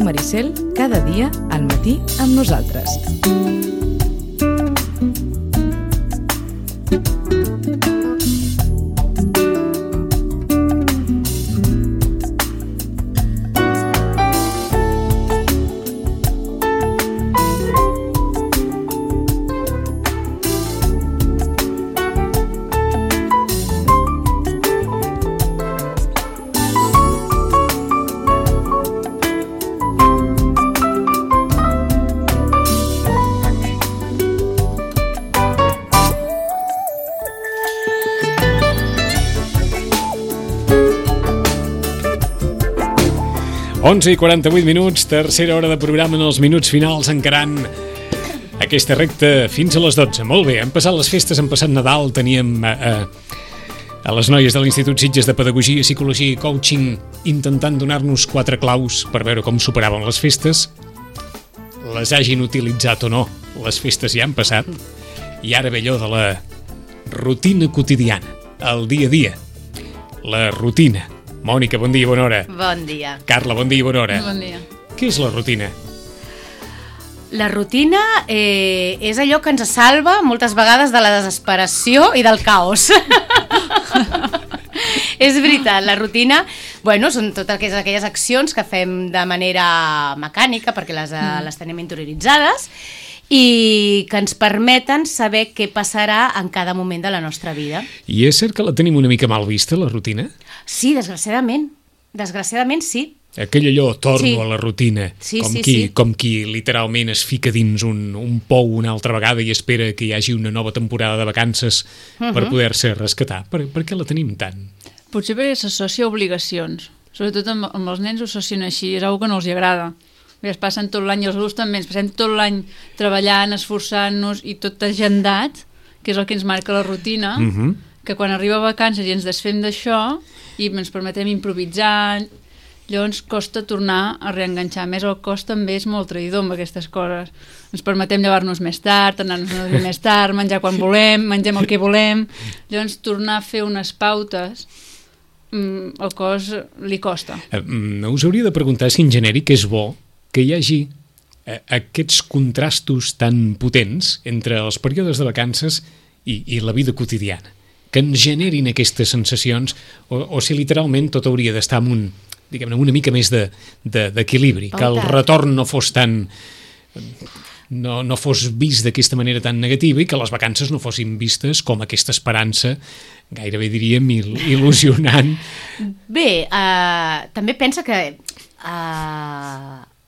Maricel, cada dia al matí amb nosaltres. Onze i 48 minuts, tercera hora de programa en els minuts finals, encarant aquesta recta fins a les 12. Molt bé, han passat les festes, han passat Nadal, teníem a les noies de l'Institut Sitges de Pedagogia, Psicologia i Coaching intentant donar-nos 4 claus per veure com superaven les festes. Les hagin utilitzat o no, les festes ja han passat. I ara ve allò de la rutina quotidiana, el dia a dia, la rutina. Mònica, bon dia i bona hora. Bon dia. Carla, bon dia i bona hora. Bon dia. Què és la rutina? La rutina és allò que ens salva moltes vegades de la desesperació i del caos. És veritat, la rutina, bueno, són totes aquelles accions que fem de manera mecànica perquè les tenim interioritzades i que ens permeten saber què passarà en cada moment de la nostra vida. I és cert que la tenim una mica mal vista, la rutina? Sí, desgraciadament. Desgraciadament, sí. Aquell allò, torno a la rutina, sí, com qui literalment es fica dins un pou una altra vegada i espera que hi hagi una nova temporada de vacances per poder-se rescatar. Per què la tenim tant? Potser perquè s'associa a obligacions. Sobretot amb els nens ho associen així, és una que no els agrada. Es passen tot l'any, i els adults també, ens passem tot l'any treballant, esforçant-nos i tot agendat, que és el que ens marca la rutina, que quan arriba a vacances i ens desfem d'això i ens permetem improvisar, llavors costa tornar a reenganxar. A més, el cos també és molt traïdor amb aquestes coses. Ens permetem llevar-nos més tard, anar-nos a dormir més tard, menjar quan volem, mengem el que volem. Llavors, tornar a fer unes pautes, el cos li costa. Us hauria de preguntar si en genèric és bo que hi hagi aquests contrastos tan potents entre els períodes de vacances i la vida quotidiana, que ens generin aquestes sensacions, o si literalment tot hauria d'estar amb una mica més d'equilibri, que el retorn no fos tan... no fos vist d'aquesta manera tan negativa i que les vacances no fossin vistes com aquesta esperança, gairebé diríem il·lusionant. Bé, també pensa que...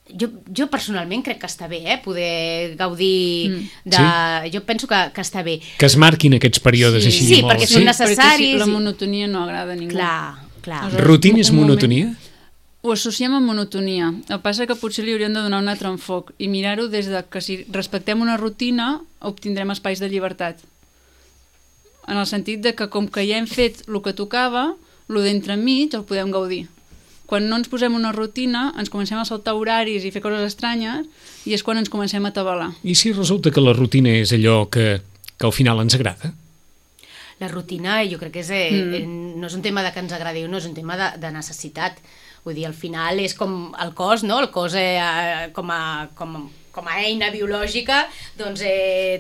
Jo personalment crec que està bé, poder gaudir de... Sí? Jo penso que està bé. Que es marquin aquests períodes així molt. Sí, perquè són necessaris. Perquè la monotonia no agrada a ningú. Clar. Rutina és monotonia? Ho associem amb monotonia. El que passa que potser li hauríem de donar un altre enfoc i mirar-ho des de que si respectem una rutina obtindrem espais de llibertat. En el sentit de que com que ja hem fet el que tocava, el d'entremig el podem gaudir. Quan no ens posem una rutina, ens comencem a saltar horaris i fer coses estranyes i és quan ens comencem a atabalar. I si resulta que la rutina és allò que al final ens agrada? La rutina jo crec que no és un tema de que ens agradi o no, és un tema de necessitat. Vull dir, al final és com el cos, no? El cos com a eina biològica doncs,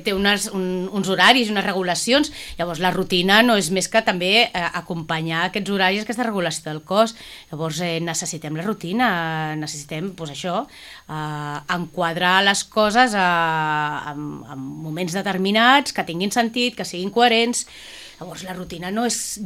té uns horaris i unes regulacions. Llavors la rutina no és més que també acompanyar aquests horaris, aquesta regulació del cos. Llavors necessitem la rutina, necessitem enquadrar les coses en moments determinats, que tinguin sentit, que siguin coherents. Llavors la rutina no és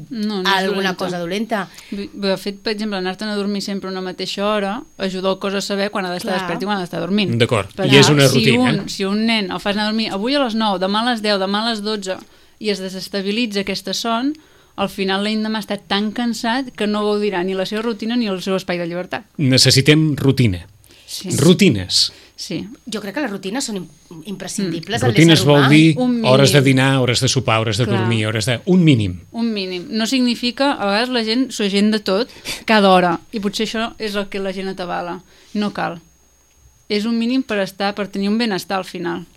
alguna cosa dolenta. De fet, per exemple, anar-te'n a dormir sempre a una mateixa hora ajuda el cos a saber quan ha d'estar despert i quan ha d'estar dormint. D'acord, i és una rutina. Si un nen el fas anar a dormir avui a les 9, demà a les 10, demà a les 12 i es desestabilitza aquesta son, al final l'endemà està tan cansat que no gaudirà ni la seva rutina ni el seu espai de llibertat. Necessitem rutina. Sí. Rutines. Sí. Jo crec que les rutines són imprescindibles en Rutines l'ésser humà. vol dir Un mínim. hores de dinar, hores de sopar, hores de Clar. dormir, hores de... Un mínim. Un mínim. No significa, a vegades la gent s'ho agenda tot cada hora, i potser això és el que la gent atabala. No cal. És un mínim per tenir un benestar al final.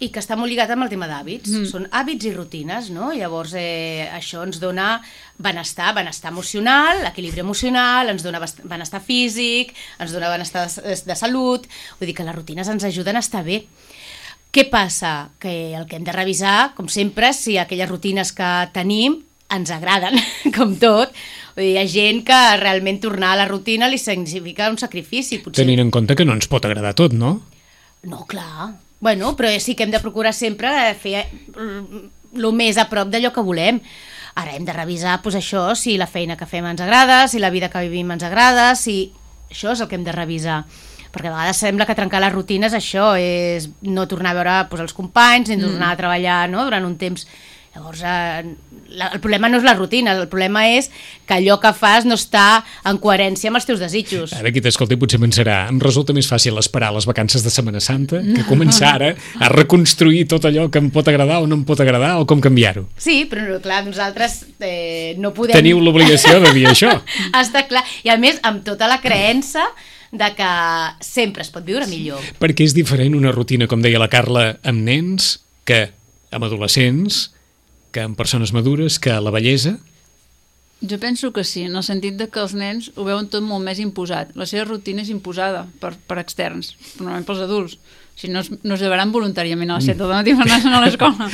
I que està molt lligat amb el tema d'hàbits. Són hàbits i rutines, no? Llavors, això ens dona benestar emocional, equilibri emocional, ens dona benestar físic, ens dona benestar de salut. Vull dir que les rutines ens ajuden a estar bé. Què passa? Que el que hem de revisar, com sempre, si aquelles rutines que tenim ens agraden, com tot. Vull dir, hi ha gent que realment tornar a la rutina li significa un sacrifici. Potser... Tenint en compte que no ens pot agradar tot, no? No, clar. Bueno, però sí que hem de procurar sempre fer el més a prop d'allò que volem. Ara hem de revisar doncs, això, si la feina que fem ens agrada, si la vida que vivim ens agrada, si... Això és el que hem de revisar. Perquè a vegades sembla que trencar les rutines això és no tornar a veure doncs, els companys, ni tornar a treballar, no?, durant un temps. Llavors, el problema no és la rutina, el problema és que allò que fas no està en coherència amb els teus desitjos. Ara qui t'escolta potser pensarà, em resulta més fàcil esperar les vacances de Setmana Santa que començar ara a reconstruir tot allò que em pot agradar o no em pot agradar o com canviar-ho. Sí, però no, clar, nosaltres no podem... Teniu l'obligació de dir això. Està clar, i a més amb tota la creença de que sempre es pot viure millor. Perquè és diferent una rutina, com deia la Carla, amb nens que amb adolescents, que amb persones madures, que la bellesa... Jo penso que sí, en el sentit de que els nens ho veuen tot molt més imposat. La seva rutina és imposada per externs, normalment pels adults. Si no, no es llevaran voluntàriament a les 7 del matí per anar a l'escola.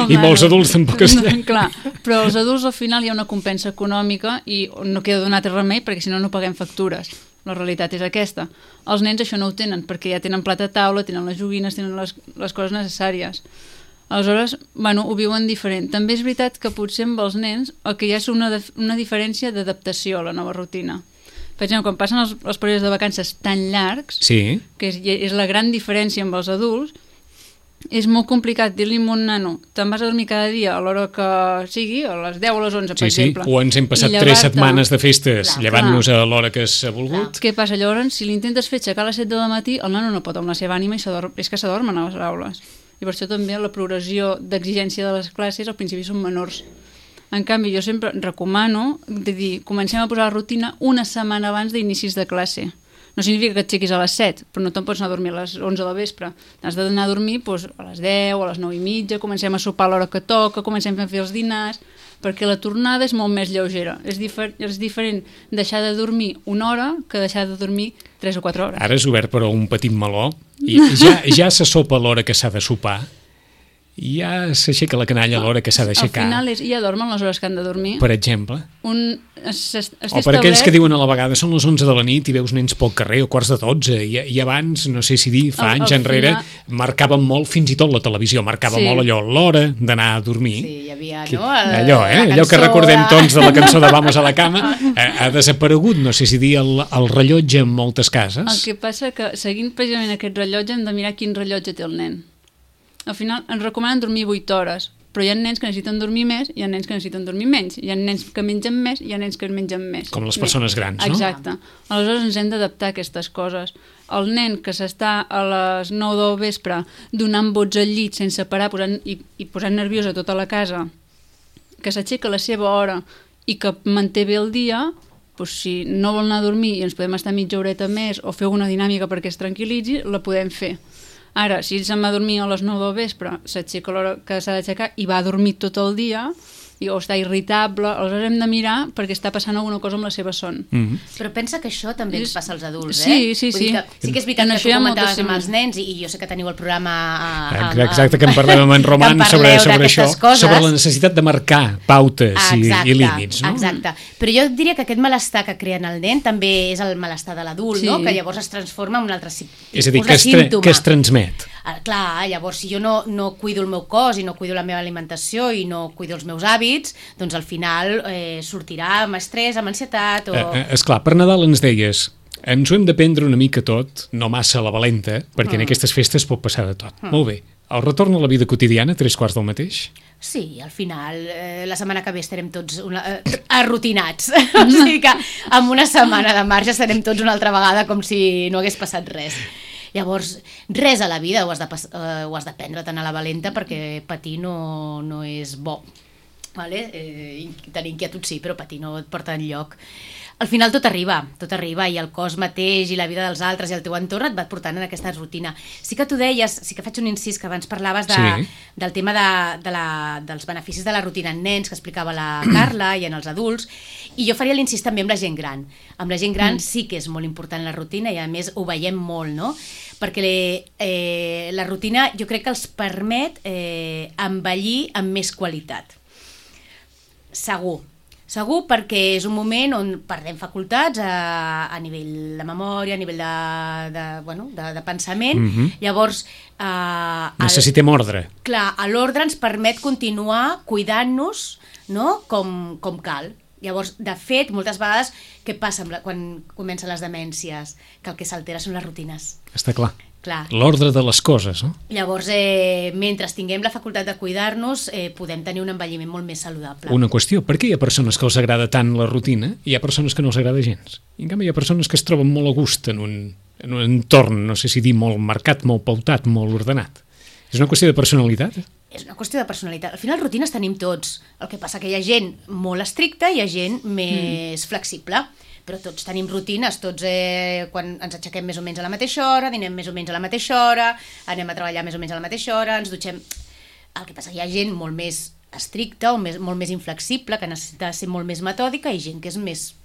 I molts adults tampoc estan. Clar, però els adults al final hi ha una compensa econòmica i no queda donat remei perquè si no no paguem factures. La realitat és aquesta. Els nens això no ho tenen perquè ja tenen plat a taula, tenen les joguines, tenen les coses necessàries. Aleshores, bueno, ho viuen diferent. També és veritat que potser amb els nens el que hi ha és una diferència d'adaptació a la nova rutina. Per exemple, quan passen els períodes de vacances tan llargs, Sí. que és la gran diferència amb els adults, és molt complicat dir-li a un nano te'n vas a dormir cada dia a l'hora que sigui, a les 10 o a les 11, per exemple. O ens hem passat 3 setmanes de festes llevant-nos a l'hora que s'ha volgut. Què passa? Llavors, si l'intentes fer aixecar a les 7 del matí, el nano no pot amb la seva ànima i és que s'adormen a les aules. I per això també la progressió d'exigència de les classes al principi són menors. En canvi, jo sempre recomano de dir, comencem a posar la rutina una setmana abans d'inicis de classe. No significa que et aixequis a les 7, però no te'n pots anar a dormir a les 11 del vespre. T'has d'anar a dormir doncs, a les 10 o a les 9 i mitja, comencem a sopar a l'hora que toca, comencem a fer els dinars, perquè la tornada és molt més lleugera. És diferent deixar de dormir una hora que deixar de dormir 3 o 4 hores. Ara és obert però un petit meló i ja se sopa a l'hora que s'ha de sopar i ja s'aixeca la canalla a l'hora que s'ha d'aixecar. Al final ja dormen les hores que han de dormir. Per exemple. O per aquells que diuen a la vegada són les 11 de la nit i veus nens pel carrer o quarts de 12 i abans, no sé si dir, fa anys enrere marcaven molt, fins i tot la televisió marcava molt allò, l'hora d'anar a dormir. Sí, hi havia, no? Allò que recordem tots de la cançó de Vamos a la cama ha desaparegut, no sé si dir, el rellotge en moltes cases. El que passa que seguint precisament aquest rellotge hem de mirar quin rellotge té el nen. Al final ens recomanen dormir 8 hores, però hi ha nens que necessiten dormir més, hi ha nens que necessiten dormir menys, hi ha nens que mengen més, hi ha nens que mengen més. Com les persones grans, no? Exacte. Aleshores ens hem d'adaptar a aquestes coses. El nen que s'està a les 9 del vespre donant bots al llit sense parar i posant nerviosa tota la casa, que s'aixeca a la seva hora i que manté bé el dia, doncs si no vol anar a dormir i ens podem estar mitja horeta més o fer una dinàmica perquè es tranquil·litzi, la podem fer. Ara, si se'n va a dormir a les 9 del vespre, s'aixeca a l'hora que s'ha d'aixecar i va a dormir tot el dia, o està irritable, aleshores hem de mirar perquè està passant alguna cosa amb la seva son. Però pensa que això també ens passa als adults, Sí. Sí que és veritat que tu comentaves amb els nens i jo sé que teniu el programa... Exacte, que en parlem amb en Roman sobre això, sobre la necessitat de marcar pautes i límits, no? Exacte, però jo diria que aquest malestar que creen el nen també és el malestar de l'adult, no? Que llavors es transforma en un altre símptoma. És a dir, que es transmet. Clar, llavors si jo no cuido el meu cos i no cuido la meva alimentació i no cuido els meus hàbits, doncs al final sortirà amb estrès, amb ansietat o... Esclar, per Nadal ens deies, ens ho hem de prendre una mica tot, no massa a la valenta, perquè en aquestes festes pot passar de tot. Molt bé. El retorn a la vida quotidiana, 3/4 del mateix? Sí, al final, la setmana que ve estarem tots arrutinats. O sigui que amb una setmana de marge estarem tots una altra vegada com si no hagués passat res. Llavors, res a la vida ho has de prendre tan a la valenta, perquè patir no és bo. Vale? Tenir inquietud sí, però patir no et porta enlloc. Al final tot arriba, i el cos mateix i la vida dels altres i el teu entorn et va portant en aquesta rutina. Sí que tu deies, sí que faig un incís, que abans parlaves del tema dels beneficis de la rutina en nens, que explicava la Carla, i en els adults, i jo faria l'incís també amb la gent gran. Amb la gent gran sí que és molt important la rutina, i a més ho veiem molt, no? Perquè la rutina jo crec que els permet envellir amb més qualitat. Segur, perquè és un moment on perdem facultats a nivell de memòria, a nivell de pensament. Llavors... necessitem ordre. Clar, l'ordre ens permet continuar cuidant-nos, no? Com cal. Llavors, de fet, moltes vegades, què passa quan comencen les demències? Que el que s'altera són les rutines. Està clar. L'ordre de les coses, no? Llavors, mentre tinguem la facultat de cuidar-nos, podem tenir un envelliment molt més saludable. Una qüestió, per què hi ha persones que els agrada tant la rutina i hi ha persones que no els agrada gens? I en canvi hi ha persones que es troben molt a gust en un entorn, no sé si dir, molt marcat, molt pautat, molt ordenat. És una qüestió de personalitat? És una qüestió de personalitat. Al final, rutines tenim tots. El que passa que hi ha gent molt estricta i hi ha gent més flexible. Però tots tenim rutines, tots quan ens aixequem més o menys a la mateixa hora, dinem més o menys a la mateixa hora, anem a treballar més o menys a la mateixa hora, ens dutxem... El que passa que hi ha gent molt més estricta o molt més inflexible, que necessita ser molt més metòdica, i gent que és més...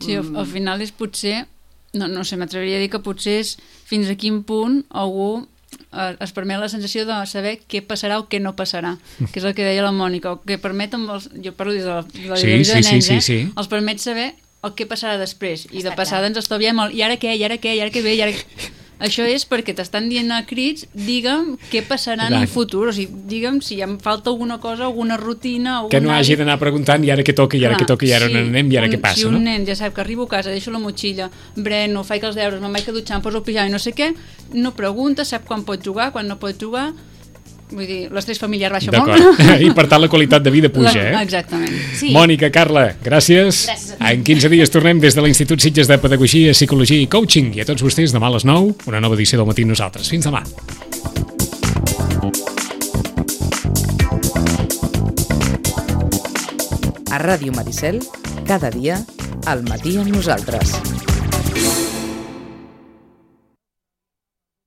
Sí, al final és potser... No sé, m'atreviria a dir que potser és fins a quin punt algú es permet la sensació de saber què passarà o què no passarà, que és el que deia la Mònica, o que permet jo parlo des de la divisió de nens, els permet saber el que passarà després, i de passada ens estalviem el i ara què ve, Això és perquè t'estan dient a crits, digue'm què passarà en un futur, o sigui, digue'm si em falta alguna cosa, alguna rutina... Que no hagi d'anar preguntant i ara què toca, i ara què toca, i ara on anem, i ara què passa, no? Si un nen ja sap que arribo a casa, deixo la motxilla, breno, faig els deures, me'n vaig a dutxar, em poso el pijama i no sé què, no pregunta, sap quan pot jugar, quan no pot jugar... Vull dir, l'estrès familiar baixa molt. I per tant la qualitat de vida puja, Exactament. Sí. Mònica, Carla, gràcies. En 15 dies tornem des de l'Institut Sitges de Pedagogia, Psicologia i Coaching. I a tots vostès, demà a les 9, una nova edició del Matí amb nosaltres. Fins demà. A Ràdio Maricel, cada dia, al matí amb nosaltres.